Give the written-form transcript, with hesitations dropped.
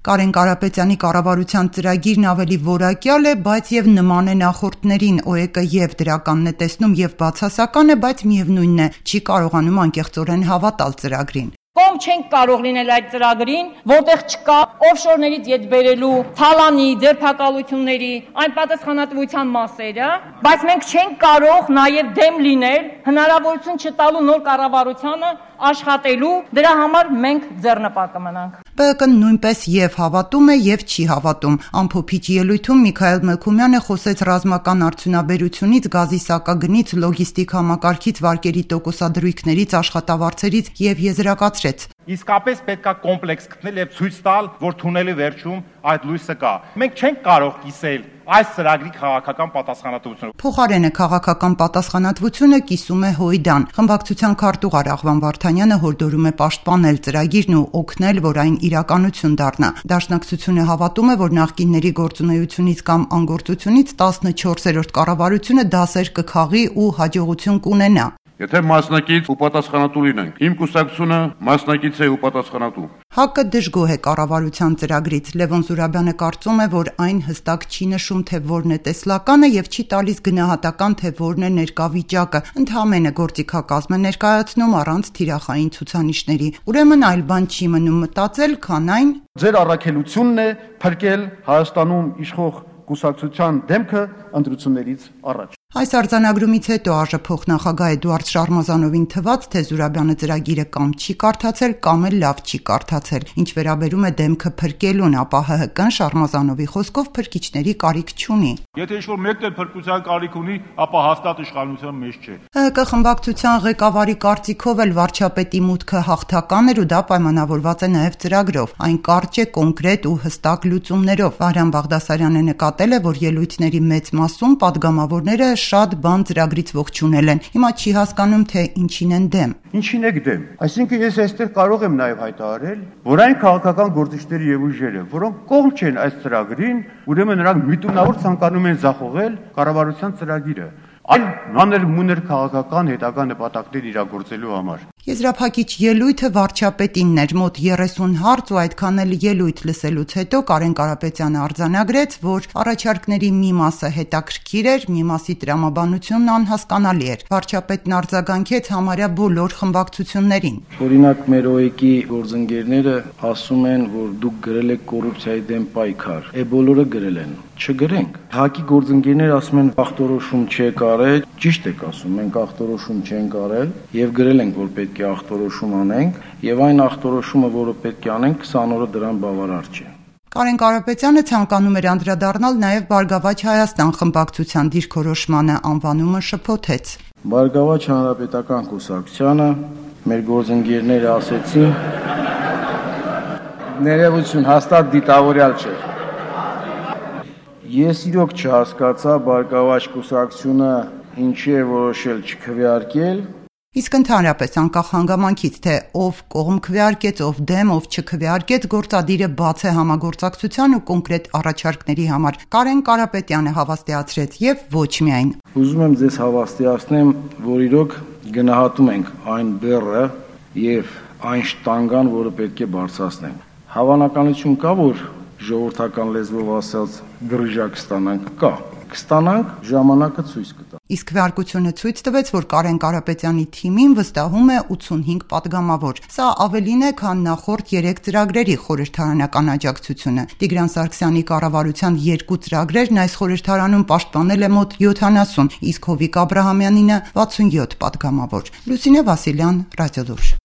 Կարեն Կարապետյանի կառավարության ծրագիրն ավելի որակյալ է, բայց եւ նման է նախորդներին, ՕԵԿ-ը եւ դրականն է տեսնում եւ բացասական է, բայց միևնույնն է, չի կարողանում անկեղծորեն հավատալ ծրագրին։ Կողմ չենք կարող լինել այդ ծրագրին, որտեղ չկա օֆշորներից ետ բերելու, թալանի, ձերբակալությունների, այն պատասխանատվության մասերը, բայց մենք չենք կարող նաև դեմ լինել հնարավորություն չտալու նոր կառավարությանը աշխատելու, դրա համար մենք ձեռնպահ կմնանք։ ԲՀԿ-ն նույնպես եւ հավատում է եւ չի հավատում։ Ամփոփիչ ելույթում Միքայել Մելքումյանը խոսեց ռազմական արդյունաբերությունից, գազի սակագնից, լոգիստիկ համակարգից, վարկերի տոկոսադրույքներից, աշխատավարձերից եւ եզրակացրեց. Իսկապես պետք է կոմպլեքս գտնել եւ ցույց տալ, որ թունելի վերջում այդ լույսը կա։ Մենք չենք կարող կիսել այս ծրագրի քաղաքական պատասխանատվությունը։ Փոխարենը քաղաքական պատասխանատվությունը կիսում է Հույդան։ Խմբակցության քարտուղար Աղվան Վարդանյանը հորդորում է պաշտպանել ծրագիրն ու օգնել, որ այն իրականություն դառնա։ Դաշնակցությունը հավատում է, որ նախկինների գործունեությունից կամ անգործությունից 14-րդ կառավարությունը դասեր կքաղի ու հաջողություն կունենա։ Եթե մասնակից ու պատասխանատու լինենք, իմ կուսակցությունը մասնակից է ու պատասխանատու։ ՀԱԿ-ը դժգոհ է կառավարության ծրագրից։ Լևոն Զուրաբյանը կարծում է, որ այն հստակ չի նշում, թե որն է տեսլականը եւ չի տալիս գնահատական, թե որն է ներկա վիճակը։ Ընդհանրապես գործիքակազմ է ներկայացնում առանց թիրախային ցուցանիշների։ Ուրեմն այլ բան չի մնում մտածել, քան այն. Ձեր առաքելությունն է փրկել Հայաստանում իշխող կուսակցության դեմքը ընտրություններից առաջ։ Այս արձանագրումից հետո ԱԺ փոխնախագահ Էդուարդ Շարմազանովին թվաց, թե Զուրաբյանը ծրագիրը կամ չի կարդացել, կամ էլ լավ չի կարդացել։ Ինչ վերաբերում է դեմքը փրկելուն, ապա ՀՀԿ-ն Շարմազանովի խոսքով փրկիչների կարիք չունի։ Եթե ինչ-որ մեկն էլ փրկության կարիք ունի, ապա հաստատ իշխանության մեջ չէ։ ՀՀԿ խմբակցության ղեկավարի կարծիքով էլ վարչապետի մուտքը հաղթական էր ու դա պայմանավորված է նաև ծրագրով։ Այն կարճ է, կոնկրետ ու հստակ լուծումներով։ Վահրամ Բաղդասարյանը նկատել է, որ ելույթների մեծ մասում падգամավորները շատ բան ծրագրից ողջունել են։ Հիմա չի հասկանում, թե ինչին են դեմ։ Ինչին եք դեմ։ Այսինքն ես այստեղ կարող եմ նաև հայտարարել, որ այն քաղաքական գործիչները եւ ուժերը, որոնք կողմ չեն այս ծրագրին, ուրեմն նրանք միտումնավոր ցանկանում են ձախողել կառավարության ծրագիրը, այլ մանր-մուներ քաղաքական հետագա նպատակներ իրագործելու համար։ Եզրափակիչ ելույթը վարչապետինն էր, մոտ 30 հարց ու այդքան էլ ելույթ լսելուց հետո Կարեն Կարապետյանը արձանագրեց, որ առաջարկների մի մասը հետաքրքիր էր, մի մասի տրամաբանությունն անհասկանալի էր։ Վարչապետն արձագանքեց համարյա բոլոր խմբակցություններին։ Օրինակ մեր ՕԵԿ-ի գործընկերները ասում են, որ դուք գրել եք կոռուպցիայի դեմ պայքար։ Բոլորը գրել են։ Չգրենք։ ՀԱԿ-ի գործընկերները ասում են ախտորոշում չեք արել, ճիշտ եք ասում, մենք ախտորոշում չենք արել եւ գրել ենք, որ պետք է ախտորոշում անենք եւ այն ախտորոշումը, որը պետք է անենք, 20 օրը դրան բավարար չէ։ Կարեն Կարապետյանը ցանկանում էր անդրադառնալ նաև Բարգավաճ Հայաստան խմբակցության դիրքորոշմանը, անվանումը շփոթեց։ Բարգավաճ Հանրապետական կուսակցությանը մեր գործընկերները ասեցին, ներողություն, հաստատ դիտավորյալ չէ։ Ես իրոք չհասկացա Բարգավաճ կուսակցությունը ինչի է որոշել չքվեարկել։ Իսկ ընդհանրապես անկախ հանգամանքից, թե ով կողմ քվեարկեց, ով դեմ, ով չքվեարկեց, գործադիրը բաց է համագործակցության ու կոնկրետ առաջարկների համար։ Կարեն Կարապետյանը հավաստիացրեց եւ ոչ միայն։ Ուզում եմ ձեզ հավաստիացնեմ, որ իրոք գնահատում ենք այն բեռը եւ այն շտանգան, որը պետք է բարձրացնենք։ Հավանականություն կա, որ ժողովրդական լեզվով ասած գրժակ ստանանք, կա։ Կստանանք, ժամանակը ցույց կտա։ Իսկ քվեարկությունը ցույց տվեց, որ Կարեն Կարապետյանի թիմին վստահում է 85 падգամավոր։ Սա ավելին է, քան նախորդ 3 ծրագրերի խորհրդարանական աջակցությունը։ Տիգրան Սարգսյանի կառավարության 2 ծրագրերն այս խորհրդարանում պաշտպանել է մոտ 70, իսկ Հովիկ Աբրահամյանինը 67 падգամավոր։ Լուսինե Վասիլյան, Ռադիոլուր։